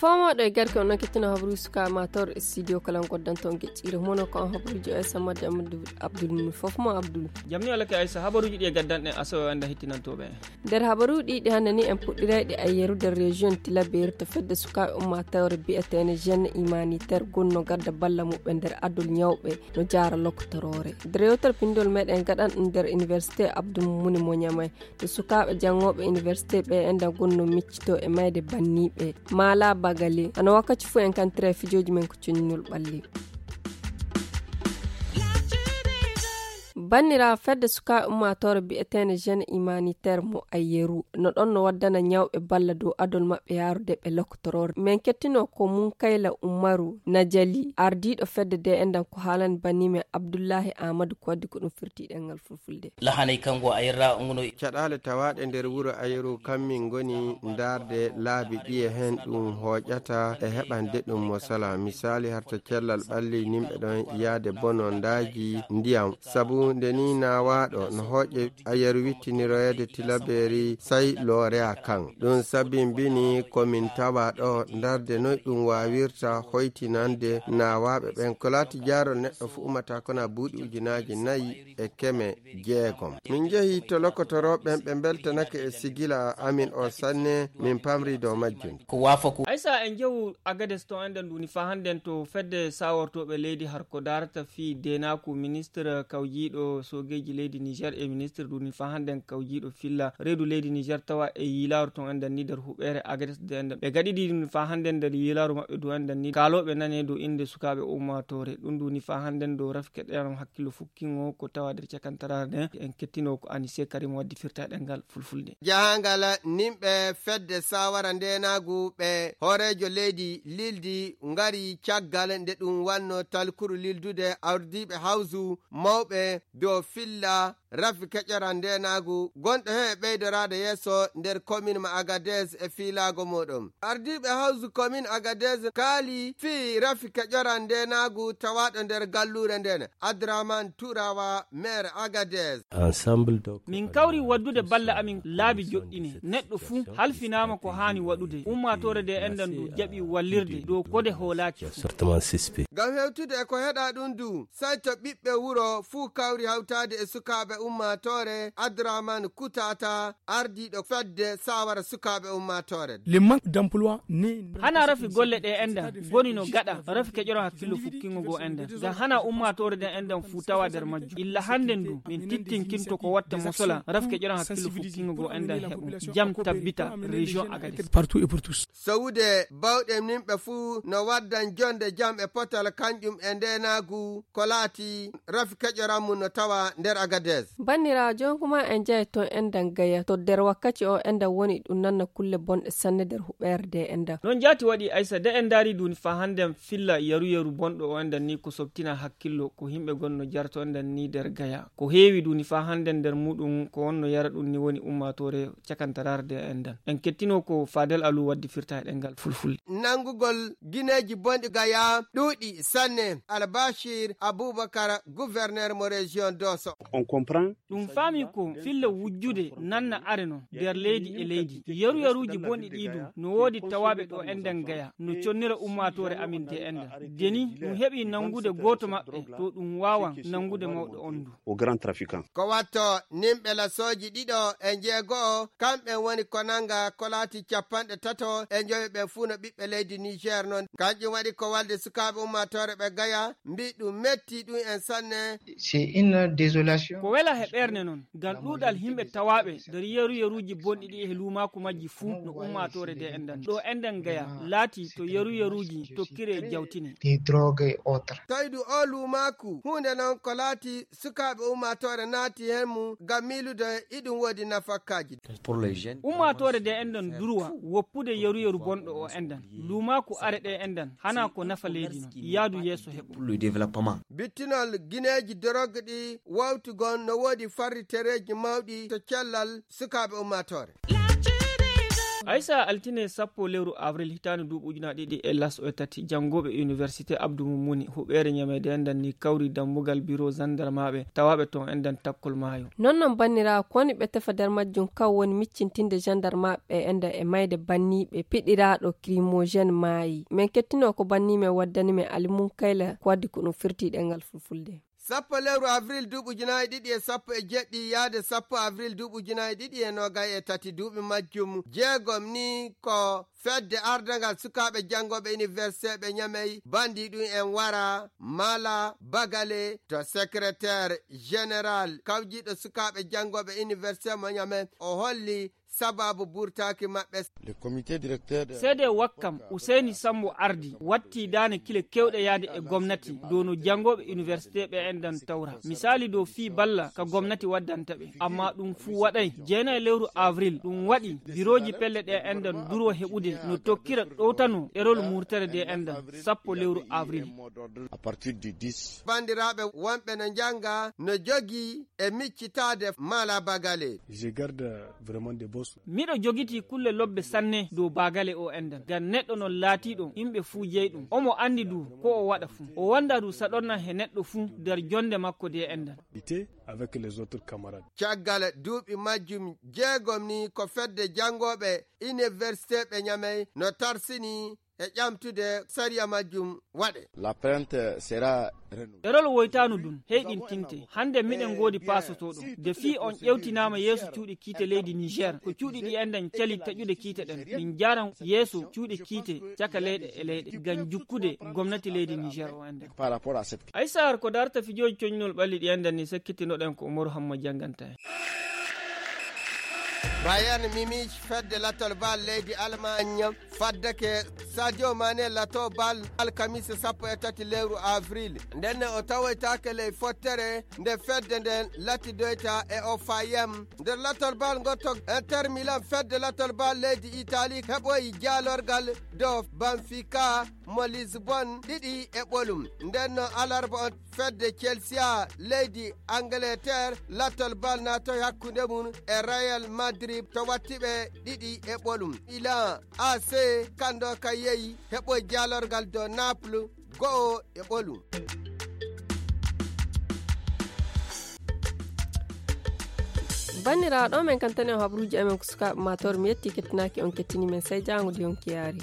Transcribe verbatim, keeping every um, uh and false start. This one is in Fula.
Fomooɗo e garke on noon kettino habaruuji sukaaɓe maa tawre e studio kala on goddanto on geƴƴiire mono ko on habaruuji o e samadde amadou abdoul mum fof mo abdoul. Jamni alake aysa habaruuji ɗi e gaddanɗen asawe o enda hittinantooɓe en. Nder habaruuji ɗi hannde ni en puɗɗirayɗe ayyeru nder région tilaberi to fedde sukaaɓe ummaatore biyeteene jeune humanitaire gonno gadda balla muɓɓe nder adol ñawɓe no jaara lokotoroore nder yewtere pinndol meɗen gaɗan ɗum nder université abdou mumuni mo ñamay to sukaaɓe janngooɓe université ɓe enda gonno miccito e mayde banniiɓe maala bagale hano wakkati fof en kantira e fijooji men ko coñinol ɓalli. Banniraaɓe fedde sukaaɓe ummaatoore biyeteende jeune humanitaire mo ayyeru no ɗon no waddana ñawɓe balla dow adol maɓɓe yaarude ɓe lokotoroore men kettino ko mum kayla umaru najali ardiiɗo fedde de endan ko haalani banni men abdullahi amadou ko waddi ko ɗum firti ɗengal fulfulde. Lahanay kango a yerra nguno. Caɗaale tawaaɗe nder wuro ayeru kammin ngoni ndaarde laabi ɗiye heen ɗum hooƴata e heɓande ɗum mo sala. Misaali harta cellal ɓalli nimɓe ɗon yaade bonondaaji ndiyam. Sabu nde ni naawaaɗo no hooƴe ayeru wittiniroyeede tilabeeri say loorea kan. Ɗum sabimbini ko min tawa ɗo ndaarde noy ɗum waawirta hoytinande naawaaɓe ɓen. Ko laati jaarol neɗɗo fu ummata kona buuɗi ujunaaji nayi e keme jeegom. Min njehi to lokotorooɓe ɓen, ɓe mbeltanake e sigila amin o sanne, min pamri dow majjum. Ko waafa ko. Aysa en njehu Agades to enden nduni fa hannden to fedde sawortooɓe leydi har ko daarata fii deenaaku ministre kawjiiɗo soogeeji leydi Niger e ministre nduni fa hannden kawjiiɗo filla reedu leydi Niger tawa e yiilaaru ton enden ni nder huɓeere Agades de enden. Ɓe gaɗidi nduni fa hannden nder yiilaaru maɓɓe du enden ni kaalooɓe nane dow innde sukaaɓe ummaatoore. Ɗum nduni fa hannden dow rafke ɗeyanom hakkillo fukkingo ko tawa nder cakantaraare nden en kettino ko anise karim waddi firta ɗengal fulfulde. Jahangal nimɓe fedde sawara ndenaagu ɓe hooreejo leydi lildi ngari caggal nde ɗum wanno talkuru lildude ardiiɓe hawsu mawɓe dow filla rafi keƴora ndenaagu gonɗo heen e ɓeydoraade yeeso nder komin ma agades e fiilaago muɗum. Ardiiɓe hawsu komin agades kaali fii rafi keƴora ndenaagu tawaaɗo nder galluure nden. Adraman Turawa, maire Agadez. Ensemble donc. Min kawri waddude balla amin laabi joɗɗine. Neɗɗo fuu halfinaama ko haani waɗude. Ummaatoore de enɗan ndu jaɓi wallirde dow kode hoolaaki. Certainement suspect. Ngam hewtude e ko heɗa ɗum du, sayto ɓiɓɓe wuro fuu kawri hawtaade e sukaaɓe ummaatoore, Adraman Kutata, ardiiɗo fedde sawara sukaaɓe ummaatoore. Le manque d'emploi ne. Hana rafi golle ɗe enɗan boni no gaɗa rafi keƴoran hakkillo fukkingo goo enɗan. Ngam hana ummaatoore ɗen enɗan fuu tawa nder majjum. Illa hannden du, min tittinkinto ko watta mosola rafi keƴoran hakkillo fukkingo goo enɗan heɓo jam tabbita région Agadez. Partout et pour tous. Sowude bawɗe nimɓe fuu no waddan jonde jam e potal kanƴum e ndeenaagu ko laati rafi keƴoran mum no tawa nder Agadez. Banniraajo, jooni kuma en njahi toon enɗan Gaya. To nder wakkati o enɗan woni ɗum nanna kulle bonɗe sanne nder huɓeere de enɗan. Noon jaati waɗi Aysa de en ndaari duuni faa hannden filla yaru yaru bonɗo o enɗan ni ko sobtina hakkillo ko yimɓe gonno jarto enɗan ni nder Gaya. Ko heewi duuni faa hannden nder muɗum ko wonno yara ɗum ni woni ummaatoore cakantaraare de enɗan. En kettino ko Fadel Alu waddi firta e ɗemngal fulfulde. Nanngugol gineeji bonɗi Gaya ɗuuɗi sanne. Albashir Abubakar, gouverneur mo région Doso. On comprend. Ɗum faami ko filla wujjude nanna are non nder leydi e leydi. Yaru yaruuji bonɗi ɗii du no woodi tawaaɓe ɗo enɗan Gaya no connira ummaatoore amin de enɗan. Deni ɗum heɓi nanngude gooto maɓɓe to ɗum waawan nanngude mawɗo on du. Au grand trafiquant. Ko watto nimɓe lasooji ɗiɗo e njeego'o, kamɓe woni ko nannga ko laati cappanɗe tato e njoyo ɓen fuu no ɓiɓɓe leydi Niger non. Kanƴum waɗi ko walde sukaaɓe ummaatoore ɓe Gaya, mbi ɗum metti ɗum en sanne. C'est une désolation. Ko wela he ɓernde non, ngam ɗuuɗal yimɓe tawaaɓe nder yeru yeruuji bonɗi ɗi e luumaaku majji fuu no ummaatoore de enɗan. Ɗo enɗan Gaya laati to yeru yeruuji tokkire jawtine. Des drogues et autres. Tawi du o luumaaku, huunde non ko laati sukaaɓe ummaatoore naati heen mum ngam miilude iɗum woodi nafakkaaji. Pour les jeunes. Ummaatoore de enɗan durwa woppude yeru yeru bonɗo o enɗan. Luumaaku are ɗe enɗan hana ko nafa leydi non. Yaadu yeeso heɓo. Pour le développement. Bittinol gineeji dorog ɗi wawtugol no woodi farritereeji mawɗi to cellal sukaaɓe ummaatoore. Aysa, altine sappo lewru avril hitaande duuɓi ujunaaji ɗiɗi e laso e tati, janngooɓe université Abdou Moumouni huɓeere Ñamey de enɗan ni kawri dambugal biro zandarmaaɓe tawaaɓe toon enɗan takkol maayo. Non non banniraaɓe, ko woni ɓe tefa nder majjum kaw woni miccintinde gendarmaaɓe enɗan e mayde banniiɓe piɗiraaɗo crimogène maayi. Men kettinoo ko banniimen waddani men Alimun Kayla ko waddi ko ɗum firti ɗemngal fulfulde. Sappo lewru avril duuɓi ujunaaji ɗiɗi e sappo e jeɗɗi yaade sappo avril duuɓi ujunaaji ɗiɗi e noogay e tati, duuɓi majjum jeegom ni ko fedde ardangal sukaaɓe janngooɓe université ɓe Ñamey banndi ɗum en wara Mala Bagale to secrétaire général kawjiiɗo sukaaɓe janngooɓe université mo Ñamey o holli sababu burtaaki maɓɓe. Seede wakkam Useyni Sambo ardi watti daane kile kewɗe yaade e gomnati dow no janngooɓe université ɓe enɗan tawra. Misaali dow fii balla ka gomnati waddanta ɓe. Amma ɗum fuu waɗay. Jeenay lewru avril ɗum waɗi birooji pelle ɗe enɗan duro heɓude no tokkira ɗowtano ɗerol murtere de enɗan sappo lewru avril. Banndiraaɓe wonɓe no njannga no jogii e miccitaade Mala Bagale. Miɗo jogitii kulle lobbe sanne dow Bagale o enɗan. Ngam neɗɗo non laatiiɗo yimɓe fuu jeyi ɗum. Omo anndi du ko o waɗa fuu. O wonda du saɗorna he neɗɗo fuu nder jonnde makko de enɗan. Caggal duuɓi majjum jeegom ni ko fedde janngooɓe université ɓe Ñamey no tarsini e ƴamtude sariya majjum waɗe. Ɗerol woytaanu dun heyɗintinte. Hannde miɗen ngoodi paasotooɗo. De fii on ƴewtinaama yeeso cuuɗi kiite leydi Niger, ko cuuɗi ɗi enɗan cali taƴude kiite ɗen. Min jaaran yeeso cuuɗi kiite caka leyɗe e leyɗe ngam jukkude gomnati leydi Niger o enɗan. Aysar ko darta fijooji coñnol ɓalli ɗi enɗan ni sakkitinoɗen ko Umaru Hamma jannganta en. Bayern Munich fedde lattol bal leydi Allemagne faddake Sadio Mane lato bal alkamisa sappo e tati lewru avril. Ndenne o tawoytaake ley fottere nde fedde nden latidoyta e O F M. Nder lattol bal ngotto Inter Milan fedde lattol bal leydi Italie heɓoyi jaalorgal dow Benfica mo Lisbon ɗiɗi e ɓolum. Nden no alarba on fedde Chelsea leydi Angleterre lattol bal naatoy hakkunde mum e Real Madrid to watti ɓe ɗiɗi e ɓolum. Milan A C kanndo ka yehi heɓoy jaalorgal dow Naples go'o e ɓolum. Banniraaɗo men kantane o habruuji amen ko sukaaɓe maatoor mi yetti kettinaaki on kettini men sey jaango de yonki yaari.